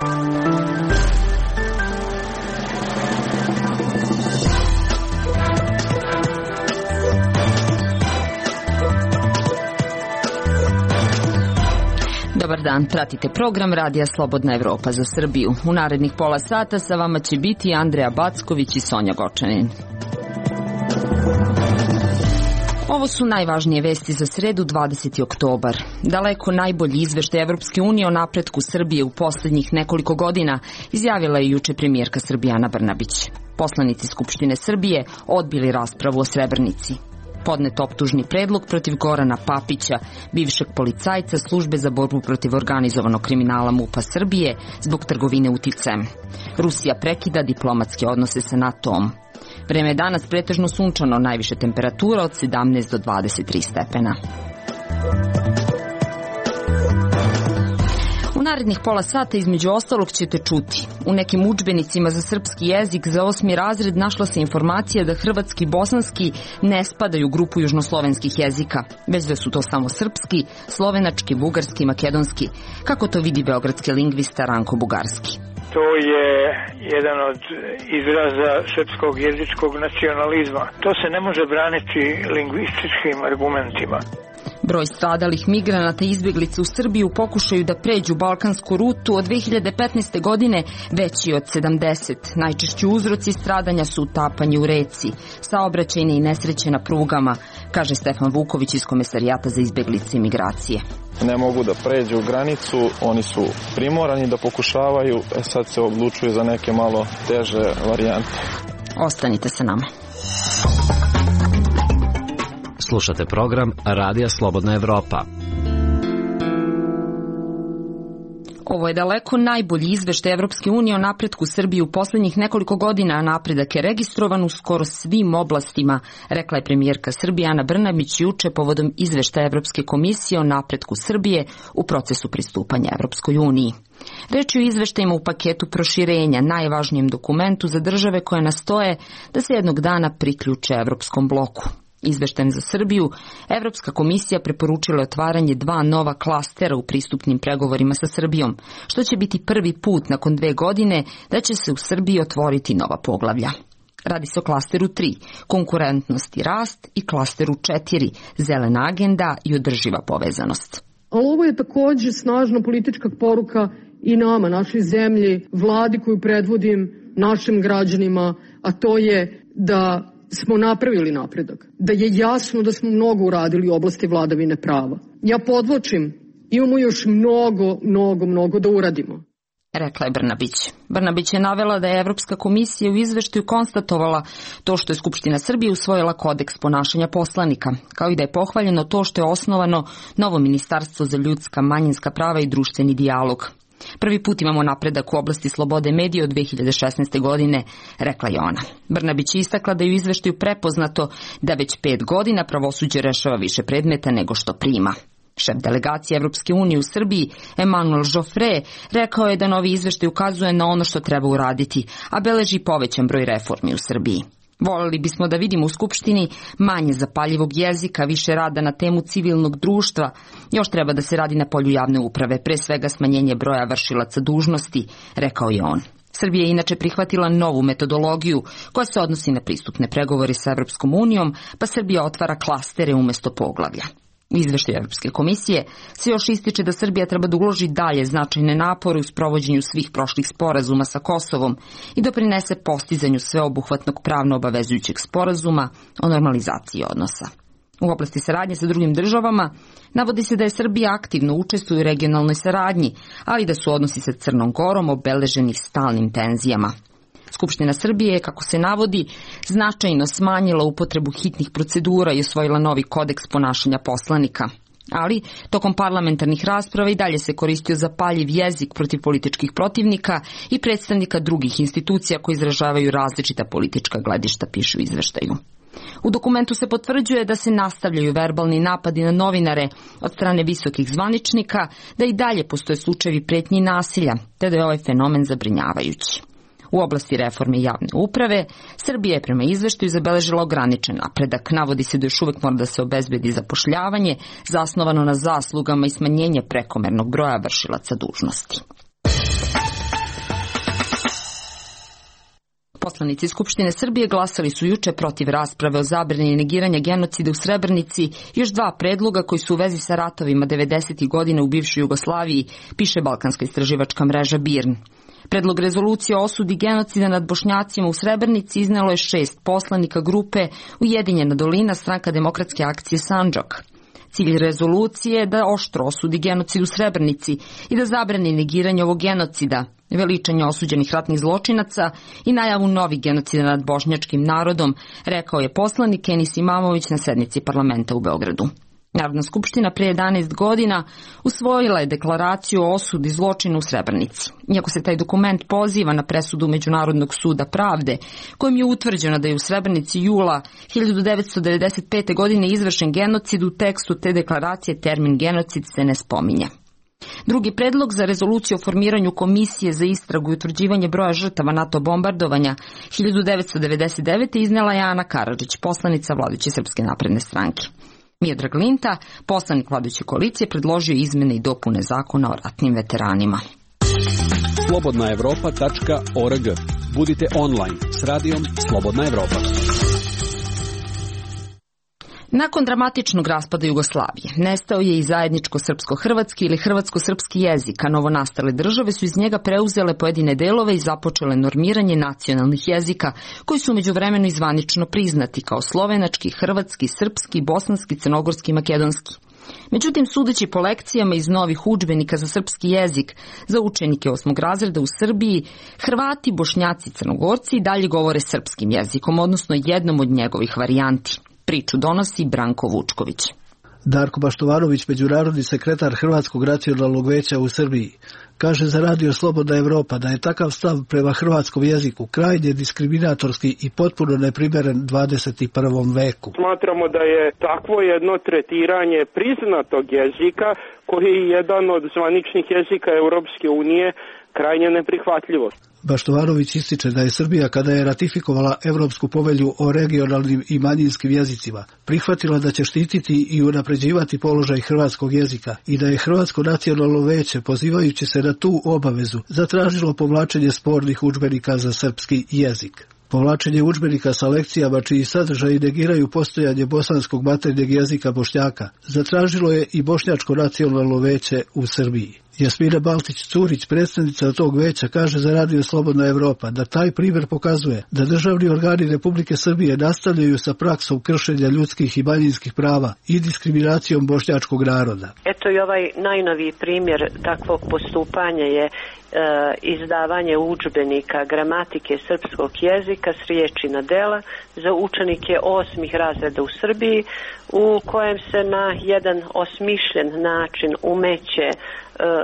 Dobar dan, pratite program Radija Slobodna Evropa za Srbiju. U narednih pola sata sa vama će biti Andreja Backović i Sonja Gočanin. Ovo su najvažnije vesti za sredu 20. oktobar. Daleko najbolji izveštaj Evropske unije o napretku Srbije u poslednjih nekoliko godina izjavila je juče premijerka Srbije Ana Brnabić. Poslanici Skupštine Srbije odbili raspravu o Srebrenici. Podnet optužni predlog protiv Gorana Papića, bivšeg policajca Službe za borbu protiv organizovanog kriminala MUP-a Srbije zbog trgovine uticajem. Rusija prekida diplomatske odnose sa NATO-om. Vreme je danas pretežno sunčano, najviše temperatura od 17 do 23 stepena. U narednih pola sata između ostalog ćete čuti. U nekim udžbenicima za srpski jezik za 8. razred našla se informacija da hrvatski i bosanski ne spadaju u grupu južnoslovenskih jezika, već da su to samo srpski, slovenački, bugarski i makedonski, kako to vidi beogradski lingvista Ranko Bugarski. To je jedan od izraza srpskog jezičkog nacionalizma. To se ne može braniti lingvističkim argumentima. Broj stradalih migranata i izbjeglica u Srbiji u pokušaju da pređu balkansku rutu od 2015. godine veći od 70. Najčešći uzroci stradanja su utapanje u reci, saobraćajne i nesreće na prugama, kaže Stefan Vuković iz Komesarijata za izbjeglice i migracije. Ne mogu da pređu granicu, oni su primorani da pokušavaju, sad se odlučuju za neke malo teže varijante. Ostanite sa nama. Slušate program Radija Slobodna Evropa. Ovo je daleko najbolji izveštaj Evropske unije o napretku Srbije u poslednjih nekoliko godina, a napredak je registrovan u skoro svim oblastima, rekla je premijerka Srbije Ana Brnabić juče povodom izveštaja Evropske komisije o napretku Srbije u procesu pristupanja Evropskoj uniji. Reč je o izveštajima u paketu proširenja, najvažnijem dokumentu za države koje nastoje da se jednog dana priključe Evropskom bloku. Izveštajem za Srbiju, Evropska komisija preporučila otvaranje 2 nova klastera u pristupnim pregovorima sa Srbijom, što će biti prvi put nakon 2 godine da će se u Srbiji otvoriti nova poglavlja. Radi se o klasteru 3, konkurentnost i rast, i klasteru 4, zelena agenda i održiva povezanost. Ali ovo je takođe snažna politička poruka i nama, našoj zemlji, vladi koju predvodim, našim građanima, a to je da smo napravili napredak, da je jasno da smo mnogo uradili u oblasti vladavine prava. Ja podvlačim, imamo još mnogo da uradimo, rekla je Brnabić. Brnabić je navela da je Evropska komisija u izveštaju konstatovala to što je Skupština Srbije usvojila kodeks ponašanja poslanika, kao i da je pohvaljeno to što je osnovano novo ministarstvo za ljudska, manjinska prava i društveni dijalog. Prvi put imamo napredak u oblasti slobode medija od 2016. godine, rekla je ona. Brnabić je istakla da je u izveštaju prepoznato da već 5 godina pravosuđe rešava više predmeta nego što prima. Šef delegacije Evropske unije u Srbiji, Emmanuel Joffre, rekao je da novi izveštaj ukazuje na ono što treba uraditi, a beleži povećan broj reformi u Srbiji. Voleli bismo da vidimo u Skupštini manje zapaljivog jezika, više rada na temu civilnog društva. Još treba da se radi na polju javne uprave, pre svega smanjenje broja vršilaca dužnosti, rekao je on. Srbija je inače prihvatila novu metodologiju koja se odnosi na pristupne pregovore sa Evropskom unijom, pa Srbija otvara klastere umesto poglavlja. U izveštaju Evropske komisije se još ističe da Srbija treba da uloži dalje značajne napore u sprovođenju svih prošlih sporazuma sa Kosovom i doprinese postizanju sveobuhvatnog pravno obavezujućeg sporazuma o normalizaciji odnosa. U oblasti saradnje sa drugim državama navodi se da je Srbija aktivno učestvuje u regionalnoj saradnji, ali da su odnosi sa Crnom Gorom obeleženi stalnim tenzijama. Skupština Srbije je, kako se navodi, značajno smanjila upotrebu hitnih procedura i usvojila novi kodeks ponašanja poslanika. Ali, tokom parlamentarnih rasprava i dalje se koristio zapaljiv jezik protiv političkih protivnika i predstavnika drugih institucija koji izražavaju različita politička gledišta, piše u izveštaju. U dokumentu se potvrđuje da se nastavljaju verbalni napadi na novinare od strane visokih zvaničnika, da i dalje postoje slučajevi pretnji i nasilja, te da je ovaj fenomen zabrinjavajući. U oblasti reforme javne uprave, Srbija je prema izveštaju zabeležila ograničen napredak. Navodi se da još uvek mora da se obezbedi zapošljavanje, zasnovano na zaslugama i smanjenje prekomernog broja vršilaca dužnosti. Poslanici Skupštine Srbije glasali su juče protiv rasprave o zabrani negiranja genocida u Srebrenici još dva predloga koji su u vezi sa ratovima 90. godina u bivšoj Jugoslaviji, piše balkanska istraživačka mreža BIRN. Predlog rezolucije o osudi genocida nad Bošnjacima u Srebrenici iznelo je 6 poslanika grupe Ujedinjena dolina, Stranka demokratske akcije Sandžak. Cilj rezolucije je da oštro osudi genocid u Srebrenici i da zabrani negiranje ovog genocida, veličanje osuđenih ratnih zločinaca i najavu novih genocida nad bošnjačkim narodom, rekao je poslanik Enis Imamović na sednici parlamenta u Beogradu. Narodna skupština pre 11 godina usvojila je deklaraciju o osudi zločina u Srebrenici. Iako se taj dokument poziva na presudu Međunarodnog suda pravde, kojim je utvrđeno da je u Srebrenici jula 1995. godine izvršen genocid, u tekstu te deklaracije termin genocid se ne spominje. Drugi predlog za rezoluciju o formiranju komisije za istragu i utvrđivanje broja žrtava NATO bombardovanja 1999. iznela je Ana Karadžić, poslanica vladajuće Srpske napredne stranke. Miodrag Linta, poslanik vladajuće koalicije, predložio izmene i dopune zakona o ratnim veteranima. slobodnaevropa.org. Budite online s radijom Slobodna Evropa. Nakon dramatičnog raspada Jugoslavije, nestao je i zajedničko srpsko-hrvatski ili hrvatsko-srpski jezik, a novonastale države su iz njega preuzele pojedine delove i započele normiranje nacionalnih jezika, koji su međuvremeno i zvanično priznati kao slovenački, hrvatski, srpski, bosanski, crnogorski i makedonski. Međutim, sudeći po lekcijama iz novih udžbenika za srpski jezik za učenike 8. razreda u Srbiji, Hrvati, Bošnjaci i Crnogorci dalje govore srpskim jezikom, odnosno jednom od njegovih varijanti. Priču donosi Branko Vučković. Darko Baštovanović, međunarodni sekretar Hrvatskog nacionalnog veća u Srbiji, kaže za Radio Slobodna Evropa da je takav stav prema hrvatskom jeziku krajnje diskriminatorski i potpuno neprimeren 21. veku. Smatramo da je takvo jedno tretiranje priznatog jezika, koji je jedan od zvaničnih jezika Europske unije, krajnje neprihvatljivo. Baštovanović ističe da je Srbija, kada je ratifikovala Evropsku povelju o regionalnim i manjinskim jezicima, prihvatila da će štititi i unapređivati položaj hrvatskog jezika i da je Hrvatsko nacionalno veće, pozivajući se na tu obavezu, zatražilo povlačenje spornih udžbenika za srpski jezik. Povlačenje udžbenika sa lekcijama čiji sadržaji negiraju postojanje bosanskog maternjeg jezika Bošnjaka zatražilo je i Bošnjačko nacionalno veće u Srbiji. Jasmina Baltić-Curić, predstavnica tog veća, kaže za Radio Slobodna Evropa da taj primjer pokazuje da državni organi Republike Srbije nastavljaju sa praksom kršenja ljudskih i manjinskih prava i diskriminacijom bošnjačkog naroda. Eto i ovaj najnoviji primjer takvog postupanja je izdavanje udžbenika gramatike srpskog jezika s riječi na dela za učenike 8. razreda u Srbiji, u kojem se na jedan osmišljen način umeće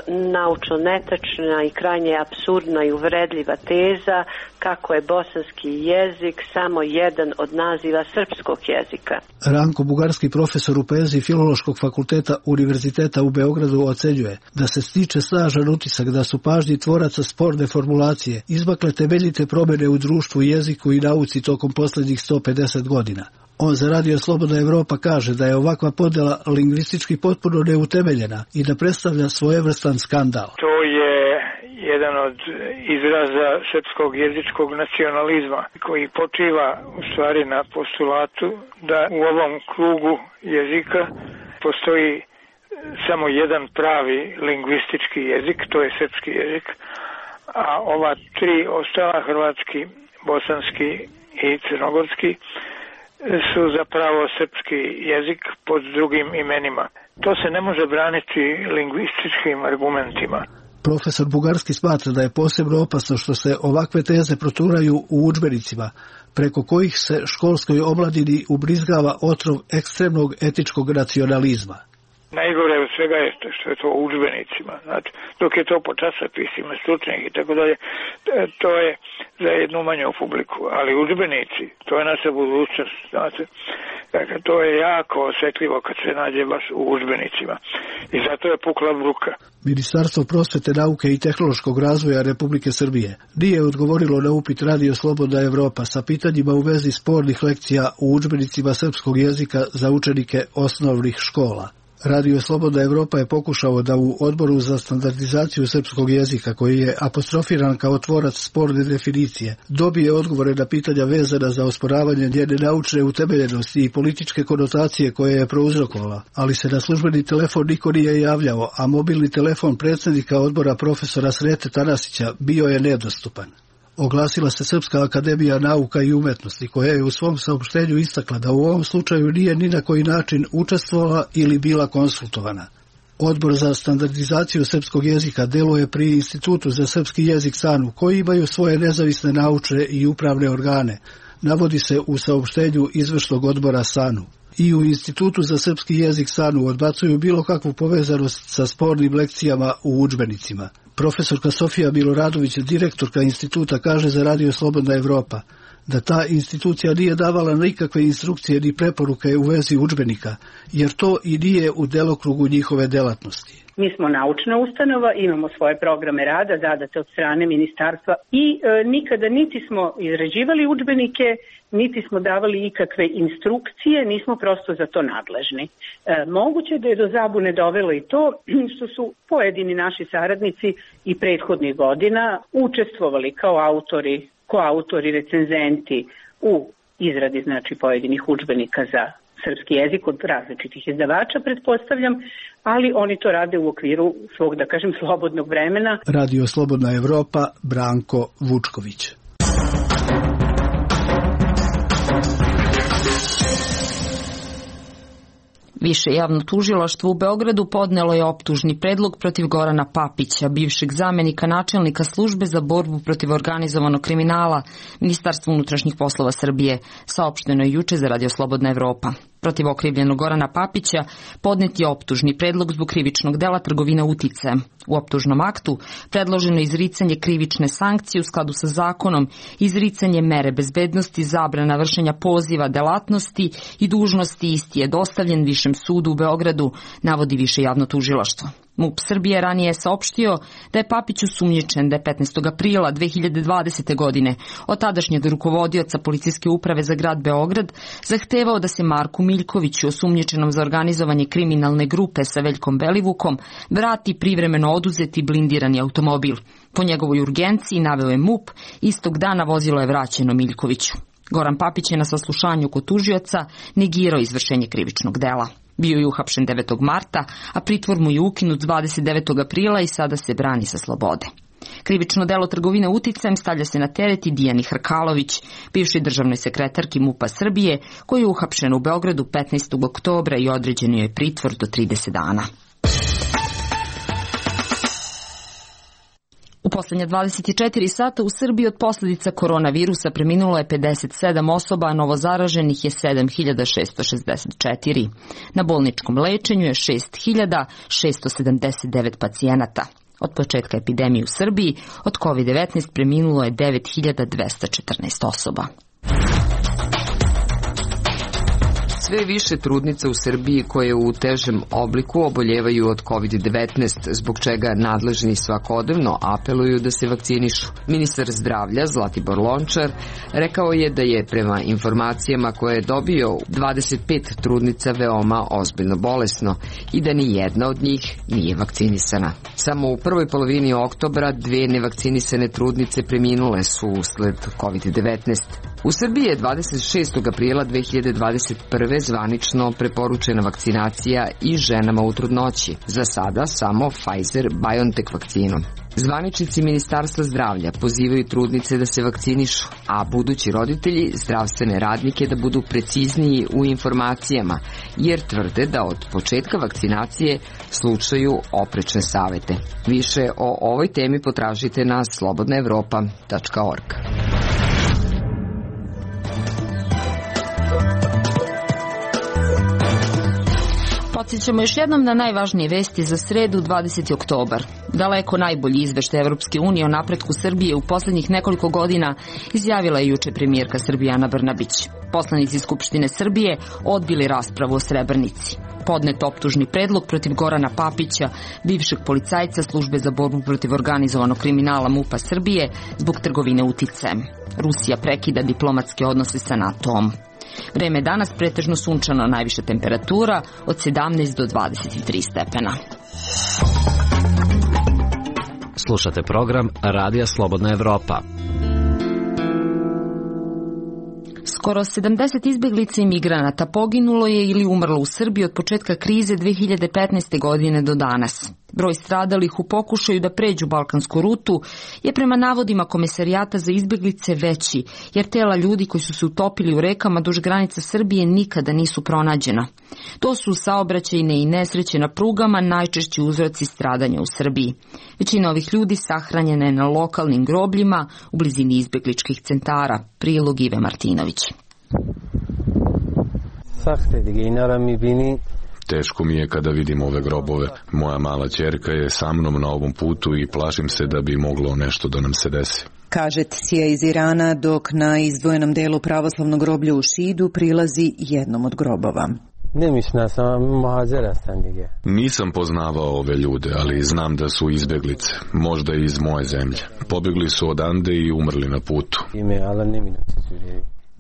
naučno netačna i krajnje apsurdna i uvredljiva teza kako je bosanski jezik samo jedan od naziva srpskog jezika. Ranko Bugarski, profesor u poeziji Filološkog fakulteta Univerziteta u Beogradu, ocenjuje da se stiče snažan utisak da su pažnji tvoraca sporne formulacije izmakle temeljite promjene u društvu, jeziku i nauci tokom posljednjih 150 godina. On za Radio Slobodna Evropa kaže da je ovakva podjela lingvistički potpuno neutemeljena i da predstavlja svojevrstan skandal. To je jedan od izraza srpskog jezičkog nacionalizma koji počiva u stvari na postulatu da u ovom krugu jezika postoji samo jedan pravi lingvistički jezik, to je srpski jezik, a ova tri ostala, hrvatski, bosanski i crnogorski, su zapravo srpski jezik pod drugim imenima. To se ne može braniti lingvističkim argumentima. Profesor Bugarski smatra da je posebno opasno što se ovakve teze proturaju u udžbenicima, preko kojih se školskoj omladini ubrizgava otrov ekstremnog etičkog nacionalizma. Najgore od svega je što je to u udžbenicima. Znači, dok je to po časopisima, stručnih i tako dalje, to je za jednu manju publiku. Ali udžbenici, to je naša budućnost. Znači, dakle, to je jako osjetljivo kad se nađe baš u udžbenicima. I zato je pukla bruka. Ministarstvo prosvete, nauke i tehnološkog razvoja Republike Srbije nije odgovorilo na upit Radio Slobodna Evropa sa pitanjima u vezi spornih lekcija u udžbenicima srpskog jezika za učenike osnovnih škola. Radio Slobodna Evropa je pokušao da u Odboru za standardizaciju srpskog jezika, koji je apostrofiran kao tvorac sporne definicije, dobije odgovore na pitanja vezana za osporavanje njene naučne utemeljenosti i političke konotacije koje je prouzrokovala, ali se na službeni telefon niko nije javljao, a mobilni telefon predsjednika odbora profesora Srete Tanasića bio je nedostupan. Oglasila se Srpska akademija nauka i umetnosti, koja je u svom saopštenju istakla da u ovom slučaju nije ni na koji način učestvovala ili bila konsultovana. Odbor za standardizaciju srpskog jezika deluje pri Institutu za srpski jezik SANU, koji imaju svoje nezavisne naučne i upravne organe, navodi se u saopštenju izvršnog odbora SANU. I u Institutu za srpski jezik SANU odbacuju bilo kakvu povezanost sa spornim lekcijama u udžbenicima. Profesorka Sofija Miloradović, direktorka instituta, kaže za Radio Slobodna Evropa da ta institucija nije davala nikakve instrukcije ni preporuke u vezi udžbenika, jer to i nije u delokrugu njihove delatnosti. Mi smo naučna ustanova, imamo svoje programe rada zadate od strane ministarstva i nikada niti smo izrađivali udžbenike, niti smo davali ikakve instrukcije, nismo prosto za to nadležni. Moguće da je do zabune dovelo i to što su pojedini naši saradnici i prethodnih godina učestvovali kao koautori, recenzenti u izradi pojedinih udžbenika za srpski jezik od različitih izdavača, pretpostavljam, ali oni to rade u okviru svog, da kažem, slobodnog vremena. Radio Slobodna Evropa, Branko Vučković. Više javno tužilaštvo u Beogradu podnelo je optužni predlog protiv Gorana Papića, bivšeg zamenika načelnika službe za borbu protiv organizovanog kriminala Ministarstva unutrašnjih poslova Srbije, saopšteno je juče za Radio Slobodna Evropa. Protiv okrivljenog Gorana Papića podnet je optužni predlog zbog krivičnog dela trgovina uticajem. U optužnom aktu predloženo je izricanje krivične sankcije u skladu sa zakonom, izricanje mere bezbednosti, zabrana vršenja poziva delatnosti i dužnosti. Isti je dostavljen Višem sudu u Beogradu, navodi Više javno tužilaštvo. MUP Srbije ranije je saopštio da je Papić osumnjičen da je 15. aprila 2020. godine od tadašnjeg rukovodioca policijske uprave za grad Beograd zahtevao da se Marku Miljkoviću, osumnjičenom za organizovanje kriminalne grupe sa Veljkom Belivukom, vrati privremeno oduzeti blindirani automobil. Po njegovoj urgenciji, naveo je MUP, istog dana vozilo je vraćeno Miljkoviću. Goran Papić je na saslušanju kod tužioca negirao izvršenje krivičnog dela. Bio je uhapšen 9. marta, a pritvor mu je ukinut 29. aprila i sada se brani sa slobode. Krivično delo trgovine uticajem stavlja se na teret i Dijani Hrkalović, bivšoj državnoj sekretarki MUP-a Srbije, koji je uhapšen u Beogradu 15. oktobra i određen je pritvor do 30 dana. U poslednje 24 sata u Srbiji od posljedica koronavirusa preminulo je 57 osoba, a novozaraženih je 7664. Na bolničkom lečenju je 6679 pacijenata. Od početka epidemije u Srbiji od COVID-19 preminulo je 9214 osoba. Sve više trudnica u Srbiji koje u težem obliku oboljevaju od COVID-19, zbog čega nadležni svakodnevno apeluju da se vakcinišu. Ministar zdravlja Zlatibor Lončar rekao je da je prema informacijama koje je dobio 25 trudnica veoma ozbiljno bolesno i da ni jedna od njih nije vakcinisana. Samo u prvoj polovini oktobra 2 nevakcinisane trudnice preminule su usled COVID-19. U Srbiji je 26. aprila 2021. zvanično preporučena vakcinacija i ženama u trudnoći. Za sada samo Pfizer-BioNTech vakcinom. Zvaničnici Ministarstva zdravlja pozivaju trudnice da se vakcinišu, a budući roditelji zdravstvene radnike da budu precizniji u informacijama, jer tvrde da od početka vakcinacije slušaju oprečne savete. Više o ovoj temi potražite na slobodnaevropa.org. Podsjećamo još jednom na najvažnije vesti za sredu 20. oktobar. Daleko najbolji izveštaj Evropske unije o napretku Srbije u poslednjih nekoliko godina izjavila je juče premijerka Srbije Ana Brnabić. Poslanici Skupštine Srbije odbili raspravu o Srebrenici. Podnet optužni predlog protiv Gorana Papića, bivšeg policajca službe za borbu protiv organizovanog kriminala MUP-a Srbije zbog trgovine uticajem. Rusija prekida diplomatske odnose sa NATO-om. Vreme je danas pretežno sunčano, najviša temperatura od 17 do 23 stepena. Slušate program Radija Slobodna Evropa. Skoro 70 izbeglica i migranata poginulo je ili umrlo u Srbiji od početka krize 2015. godine do danas. Broj stradalih u pokušaju da pređu balkansku rutu je prema navodima Komesarijata za izbeglice veći, jer tela ljudi koji su se utopili u rekama duž granica Srbije nikada nisu pronađena. To su saobraćajne i nesreće na prugama najčešći uzroci stradanja u Srbiji. Većina ovih ljudi sahranjena je na lokalnim grobljima u blizini izbegličkih centara. Prilog Ive Martinović. Teško mi je kada vidim ove grobove. Moja mala ćerka je sa mnom na ovom putu i plašim se da bi moglo nešto da nam se desi. Kaže Tsija iz Irana, dok na izdvojenom delu pravoslavnog groblja u Šidu prilazi jednom od grobova. Nisam poznavao ove ljude, ali znam da su izbeglice, možda i iz moje zemlje. Pobjegli su odande i umrli na putu.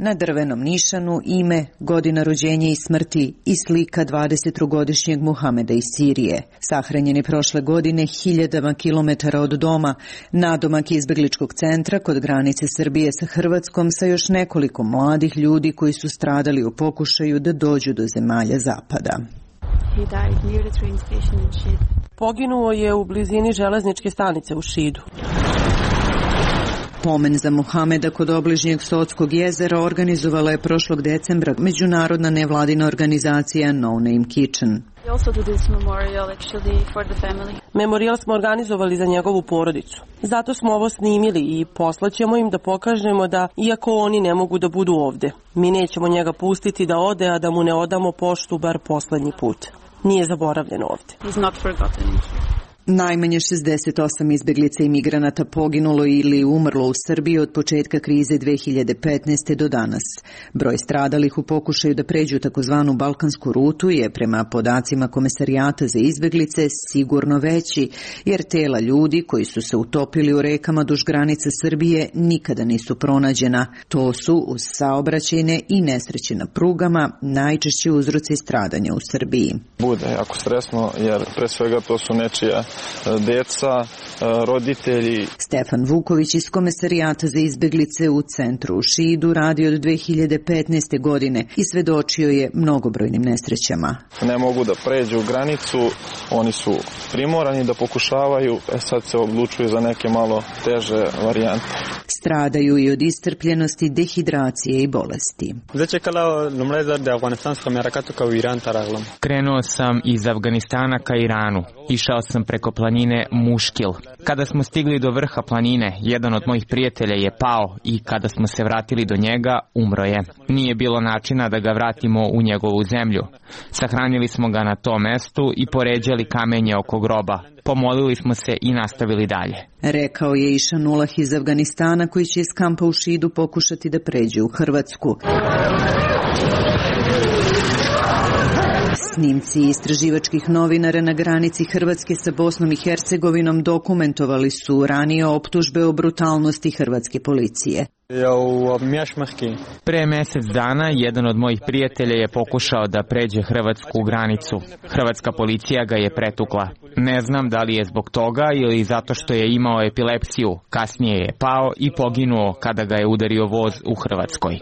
Na drvenom nišanu ime, godina rođenja i smrti i slika 23-godišnjeg Muhameda iz Sirije. Sahranjen je prošle godine hiljadama kilometara od doma, nadomak izbegličkog centra kod granice Srbije sa Hrvatskom sa još nekoliko mladih ljudi koji su stradali u pokušaju da dođu do zemalja zapada. Poginuo je u blizini železničke stanice u Šidu. Pomen za Muhameda kod obližnjeg Sotskog jezera organizovala je prošlog decembra međunarodna nevladina organizacija No Name Kitchen. Memorijal smo organizovali za njegovu porodicu. Zato smo ovo snimili i poslaćemo im da pokažemo da, iako oni ne mogu da budu ovde, mi nećemo njega pustiti da ode, a da mu ne odamo poštu bar poslednji put. Nije zaboravljen ovde. Najmanje 68 izbeglica i migranata poginulo ili umrlo u Srbiji od početka krize 2015. do danas. Broj stradalih u pokušaju da pređu takozvanu balkansku rutu je, prema podacima Komesarijata za izbeglice, sigurno veći, jer tela ljudi koji su se utopili u rekama duž granice Srbije nikada nisu pronađena. To su, uz saobraćajne i nesreće na prugama, najčešći uzroci stradanja u Srbiji. Bude jako stresno, jer pre svega to su nečija deca, roditelji. Stefan Vuković iz Komesarijata za izbeglice u centru u Šidu radi od 2015. godine i svedočio je mnogobrojnim nesrećama. Ne mogu da pređu granicu, oni su primorani da pokušavaju, sad se odlučuju za neke malo teže varijante. Stradaju i od istrpljenosti, dehidracije i bolesti. Krenuo sam iz Afganistana ka Iranu. Išao sam preko planine Muškil. Kada smo stigli do vrha planine, jedan od mojih prijatelja je pao i kada smo se vratili do njega, umro je. Nije bilo načina da ga vratimo u njegovu zemlju. Sahranili smo ga na tom mestu i poređali kamenje oko groba. Pomolili smo se i nastavili dalje. Rekao je Išanulah iz Afganistana, koji će iz kampa u Šidu pokušati da pređe u Hrvatsku. Snimci istraživačkih novinara na granici Hrvatske sa Bosnom i Hercegovinom dokumentovali su ranije optužbe o brutalnosti hrvatske policije. Pre mesec dana jedan od mojih prijatelja je pokušao da pređe hrvatsku granicu. Hrvatska policija ga je pretukla. Ne znam da li je zbog toga ili zato što je imao epilepsiju. Kasnije je pao i poginuo kada ga je udario voz u Hrvatskoj.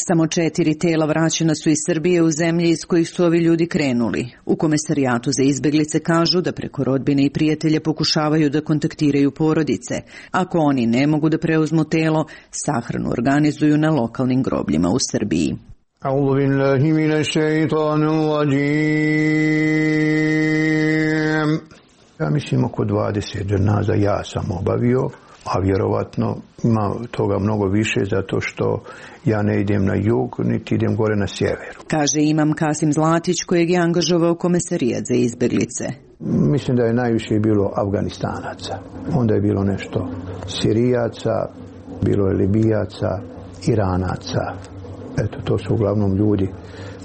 Samo 4 tela vraćena su iz Srbije u zemlje iz kojih su ovi ljudi krenuli. U Komesarijatu za izbeglice kažu da preko rodbine i prijatelja pokušavaju da kontaktiraju porodice. Ako oni ne mogu da preuzmu telo, sahranu organizuju na lokalnim grobljima u Srbiji. A'udhu billahi minash shaitanir rajim. Ja mislim oko 20 dženaza ja sam obavio, a vjerovatno ima toga mnogo više zato što ja ne idem na jug, niti idem gore na sjever. Kaže imam Kasim Zlatić, kojeg je angažovao Komesarijat za izbeglice. Mislim da je najviše bilo Afganistanaca. Onda je bilo nešto Sirijaca, bilo je Libijaca, Iranaca. Eto, to su uglavnom ljudi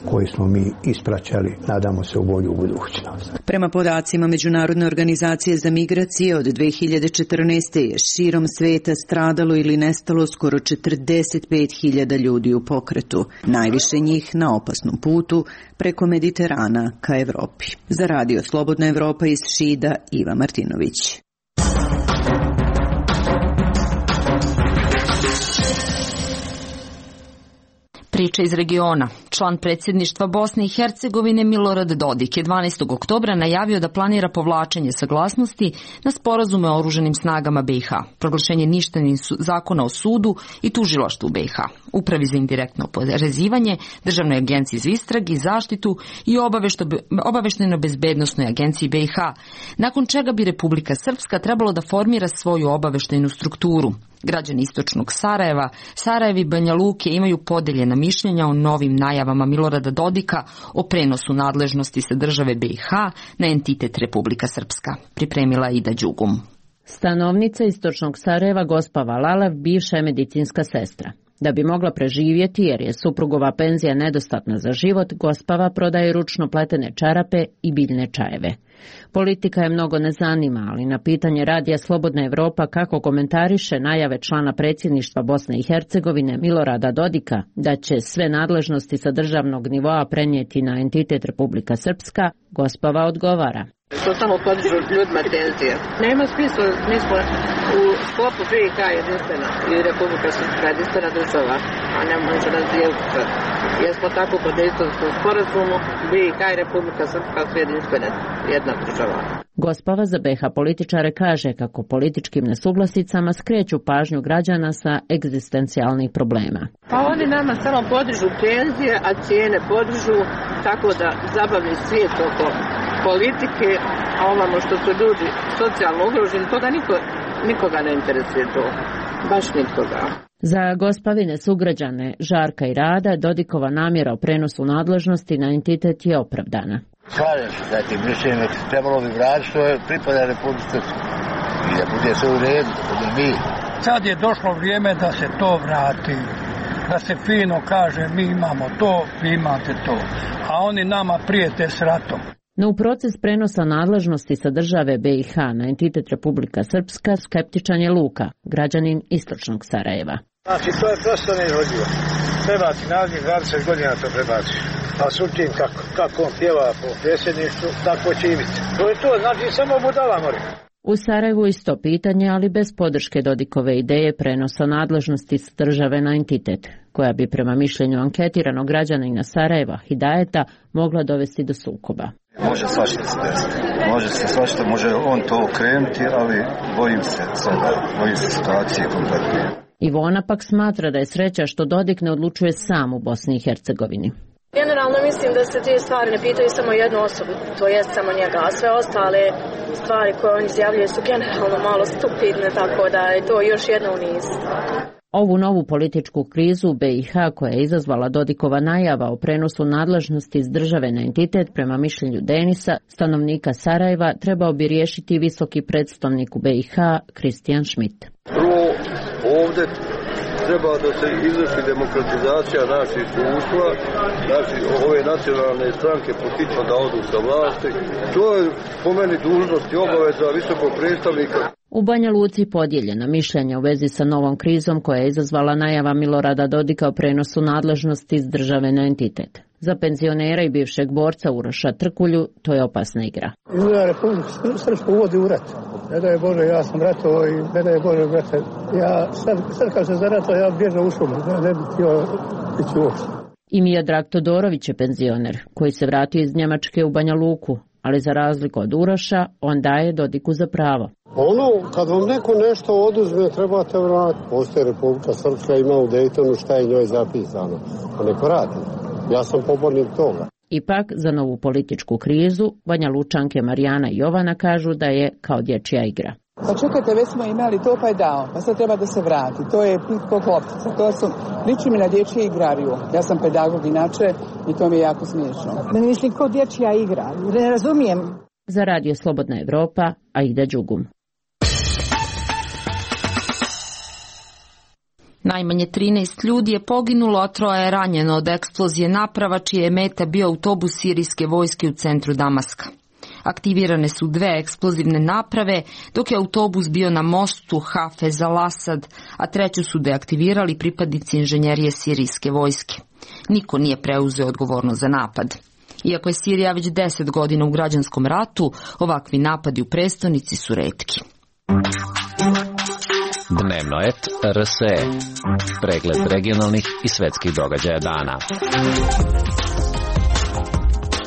koji smo mi ispraćali, nadamo se, u bolju budućnost. Prema podacima Međunarodne organizacije za migracije, od 2014. je širom sveta stradalo ili nestalo skoro 45.000 ljudi u pokretu, najviše njih na opasnom putu preko Mediterana ka Evropi. Za Radio Slobodna Evropa iz Šida, Iva Martinović. Priča iz regiona. Član predsjedništva Bosne i Hercegovine Milorad Dodik je 12. oktobra najavio da planira povlačenje saglasnosti na sporazume o oružanim snagama BiH, proglašenje ništavnim zakona o sudu i tužilaštvu BiH, Upravi za indirektno oporezivanje, Državnoj agenciji za istrage i zaštitu i obaveštajno-bezbednosnoj agenciji BiH, nakon čega bi Republika Srpska trebalo da formira svoju obaveštajnu strukturu. Građani istočnog Sarajeva, Sarajevi i Banja Luke imaju podeljena mišljenja o novim najavama Milorada Dodika o prenosu nadležnosti sa države BiH na entitet Republika Srpska. Pripremila Ida Đugum. Stanovnica istočnog Sarajeva gospa Valalev bivša je medicinska sestra. Da bi mogla preživjeti jer je suprugova penzija nedostatna za život, gospava prodaje ručno pletene čarape i biljne čajeve. Politika je mnogo ne zanima, ali na pitanje Radija Slobodna Evropa kako komentariše najave člana predsjedništva Bosne i Hercegovine Milorada Dodika da će sve nadležnosti sa državnog nivoa prenijeti na entitet Republika Srpska, gospava odgovara. To samo podižu ljudima tenzije. Nema smisla, mi smo u sklopu BiH jedinstvena i Republika Srpska jedinstvena država, a ne može nas dijeliti. Jer smo tako pod Dejtonskom sporazumu, BiH i Republika Srpska su jedinstvene, jedna država. Gospava za BiH političare kaže kako političkim nesuglasicama skreću pažnju građana sa egzistencijalnih problema. Pa oni nama samo podižu tenzije, a cijene podižu, tako da zabavni svijet oko politike, a ovamo što su ljudi socijalno ugroženi, toga nikoga ne interesuje to. Baš nikoga. Za gospavine sugrađane Žarka i Rada Dodikova namjera o prenosu nadležnosti na entitet je opravdana. Slažem se sa tim mišljenjem, trebalo bi vratiti što je pripada Republike Srpske i da bude sve u redu, da bude mir. Sad je došlo vrijeme da se to vrati, da se fino kaže mi imamo to, vi imate to, a oni nama prijete s ratom. No u proces prenosa nadležnosti sa države BiH na entitet Republika Srpska skeptičan je Luka, građanin istočnog Sarajeva. Znači to je prosto neizvodljivo. Prebaci narednih 20 godina to prebaci. A sutim kako on pjeva po predsjedništvu, tako će i biti. To je to, znači samo budala mora. U Sarajevu isto pitanje, ali bez podrške Dodikove ideje prenosa nadležnosti s države na entitet, koja bi prema mišljenju anketiranog građanina Sarajeva Hidajeta mogla dovesti do sukoba. Može svašta se desiti. Može se svašta, može on to okrenuti, ali bojim se situacije kompletne. Ivona pak smatra da je sreća što Dodik ne odlučuje sam u Bosni i Hercegovini. Generalno mislim da se te stvari ne pitaju samo jednu osobu, to je samo njega, a sve ostale stvari koje on izjavljuje su generalno malo stupidne, tako da je to još jedna u niz. Ovu novu političku krizu u BiH koja je izazvala Dodikova najava o prenosu nadležnosti iz države na entitet prema mišljenju Denisa, stanovnika Sarajeva, trebao bi riješiti visoki predstavnik u BiH Kristijan Schmidt. Prvo, ovdje treba da se izvrši demokratizacija naših društva, znači ove nacionalne stranke potiču da odu sa vlasti. To je po meni dužnost i obaveza visokog predstavnika. U Banja Luci podijeljena mišljenja u vezi sa novom krizom koja je izazvala najava Milorada Dodika o prenosu nadležnosti iz države na entitet. Za penzionera i bivšeg borca Uroša Trkulju to je opasna igra. Izgleda Republika Srpska uvodi u rat. Ne daj Bože, ja sam ratovao i ne daj Bože, brate. Ja sad kad se zaratao, ja bježao u šumu. Ja ne bih htio ići uopšte. I Miodrag Todorović je penzioner koji se vratio iz Njemačke u Banja Luku, ali za razliku od Uroša, on daje Dodiku za pravo. Kad vam neko nešto oduzme, trebate vratiti. Postoje Republika Srpska, ima u Dejtonu šta je njoj zapisano. Pa neko radi. Ja sam pobornik toga. Ipak, za novu političku krizu, Banja Lučanke Marijana i Jovana kažu da je kao dječja igra. Pa čekajte, već smo imali to pa je dao, pa sad treba da se vrati. To je pitko kloptica, to su, liči mi na dječje igrariju. Ja sam pedagog inače i to mi je jako smiješno. Mislim, kao dječja igra, ne razumijem. Za Radio Slobodna Evropa, Aida Đugum. Najmanje 13 ljudi je poginulo, a 3 je ranjeno od eksplozije naprava čija je meta bio autobus sirijske vojske u centru Damaska. Aktivirane su 2 eksplozivne naprave, dok je autobus bio na mostu Hafez al-Asad, a 3 su deaktivirali pripadnici inženjerije sirijske vojske. Niko nije preuzeo odgovornost za napad. Iako je Sirija već 10 godina u građanskom ratu, ovakvi napadi u prestonici su retki. Dnevnoet RSE. Pregled regionalnih i svetskih događaja dana.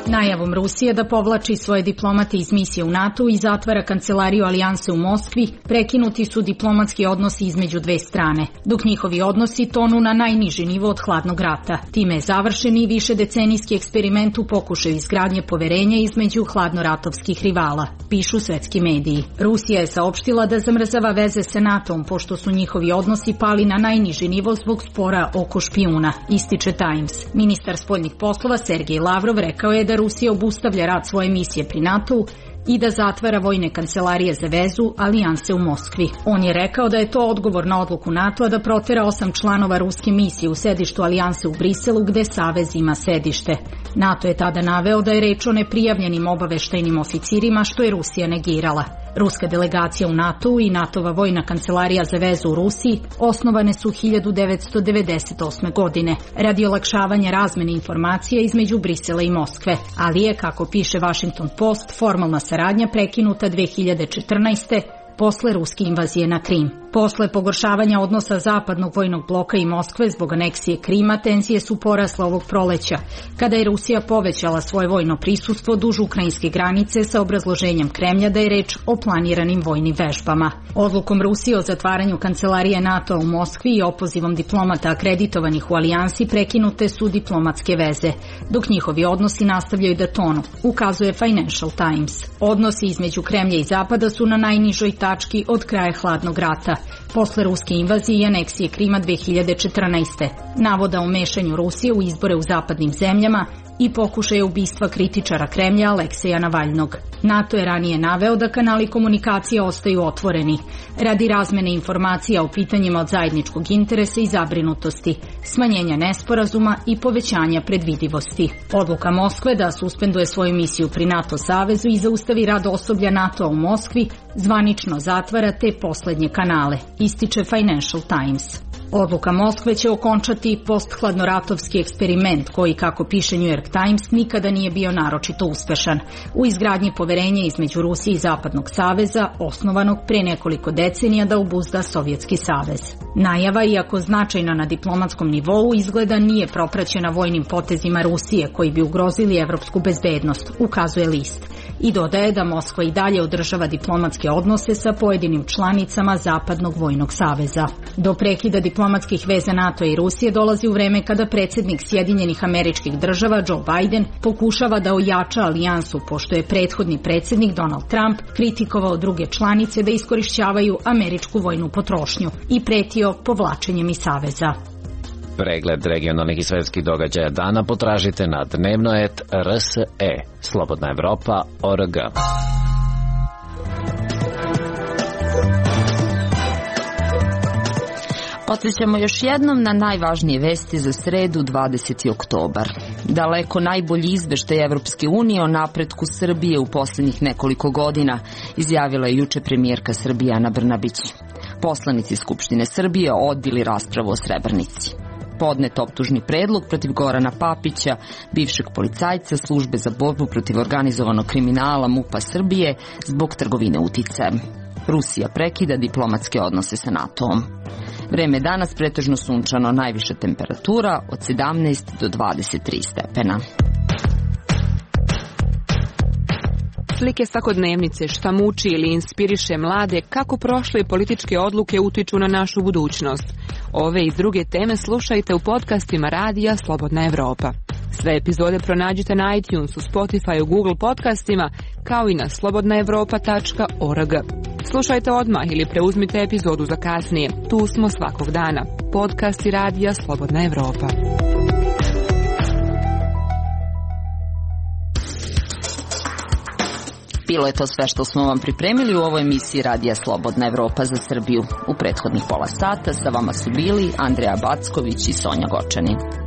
Najavom Rusije da povlači svoje diplomate iz misije u NATO i zatvara kancelariju Alijanse u Moskvi, prekinuti su diplomatski odnosi između 2 strane, dok njihovi odnosi tonu na najniži nivo od hladnog rata. Time je završen i višedecenijski eksperiment u pokušaju izgradnje poverenja između hladnoratovskih rivala, pišu svetski mediji. Rusija je saopštila da zamrzava veze sa NATO-om, pošto su njihovi odnosi pali na najniži nivo zbog spora oko špijuna, ističe Times. Ministar spoljnih poslova Sergej Lavrov rekao je da Rusija obustavlja rad svoje misije pri NATO-u i da zatvara vojne kancelarije za vezu Alijanse u Moskvi. On je rekao da je to odgovor na odluku NATO-a da protera 8 članova ruske misije u sedištu Alijanse u Briselu, gde Savez ima sedište. NATO je tada naveo da je reč o neprijavljenim obaveštajnim oficirima, što je Rusija negirala. Ruska delegacija u NATO-u i NATO-va vojna kancelarija za vezu u Rusiji osnovane su 1998. godine radi olakšavanja razmene informacija između Brisela i Moskve, ali je, kako piše Washington Post, formalna saradnja prekinuta 2014. posle ruske invazije na Krim. Posle pogoršavanja odnosa zapadnog vojnog bloka i Moskve zbog aneksije Krima, tenzije su porasle ovog proleća, kada je Rusija povećala svoje vojno prisustvo duž ukrajinske granice sa obrazloženjem Kremlja da je reč o planiranim vojnim vežbama. Odlukom Rusije o zatvaranju kancelarije NATO u Moskvi i opozivom diplomata akreditovanih u Alijansi prekinute su diplomatske veze, dok njihovi odnosi nastavljaju da tonu, ukazuje Financial Times. Odnosi između Kremlja i Zapada su na najnižoj tački od kraja hladnog rata, posle ruske invazije i aneksije Krima 2014. Navoda o mešanju Rusije u izbore u zapadnim zemljama i pokušaja ubistva kritičara Kremlja Alekseja Navalnog. NATO je ranije naveo da kanali komunikacije ostaju otvoreni radi razmene informacija o pitanjima od zajedničkog interesa i zabrinutosti, smanjenja nesporazuma i povećanja predvidivosti. Odluka Moskve da suspenduje svoju misiju pri NATO savezu i zaustavi rad osoblja NATO u Moskvi zvanično zatvara te poslednje kanale, ističe Financial Times. Odluka Moskve će okončati posthladnoratovski eksperiment koji, kako piše New York Times, nikada nije bio naročito uspešan u izgradnji poverenja između Rusije i Zapadnog saveza, osnovanog pre nekoliko decenija da obuzda Sovjetski savez. Najava, iako značajna na diplomatskom nivou, izgleda nije propraćena vojnim potezima Rusije koji bi ugrozili evropsku bezbednost, ukazuje list. I dodaje da Moskva i dalje održava diplomatske odnose sa pojedinim članicama Zapadnog vojnog saveza. Do prekida diplomatskih veza NATO i Rusije dolazi u vreme kada predsjednik Sjedinjenih Američkih Država Joe Biden pokušava da ojača alijansu, pošto je prethodni predsjednik Donald Trump kritikovao druge članice da iskorišćavaju američku vojnu potrošnju i pretio povlačenjem iz saveza. Pregled regionalnih i svetskih događaja dana potražite na Dnevnoet RSE, Slobodna Evropa.org. Podsjećamo još jednom na najvažnije vesti za sredu 20. oktobar. Daleko najbolji izveštaj Evropske unije o napretku Srbije u posljednjih nekoliko godina, izjavila je juče premijerka Srbije Ana Brnabić. Poslanici Skupštine Srbije odbili raspravu o Srebrenici. Podnet optužni predlog protiv Gorana Papića, bivšeg policajca Službe za borbu protiv organizovanog kriminala MUP-a Srbije zbog trgovine uticajem. Rusija prekida diplomatske odnose sa NATO-om. Vreme danas pretežno sunčano, najviša temperatura od 17 do 23 stepena. Slike svakodnevnice, šta muči ili inspiriše mlade, kako prošle političke odluke utiču na našu budućnost. Ove i druge teme slušajte u podcastima Radija Slobodna Evropa. Sve epizode pronađite na iTunesu, Spotifyu, Google podcastima, kao i na slobodnaevropa.org. Slušajte odmah ili preuzmite epizodu za kasnije. Tu smo svakog dana. Podcasti Radija Slobodna Evropa. Bilo je to sve što smo vam pripremili u ovoj emisiji Radija Slobodna Evropa za Srbiju. U prethodnih pola sata sa vama su bili Andreja Backović i Sonja Gočanin.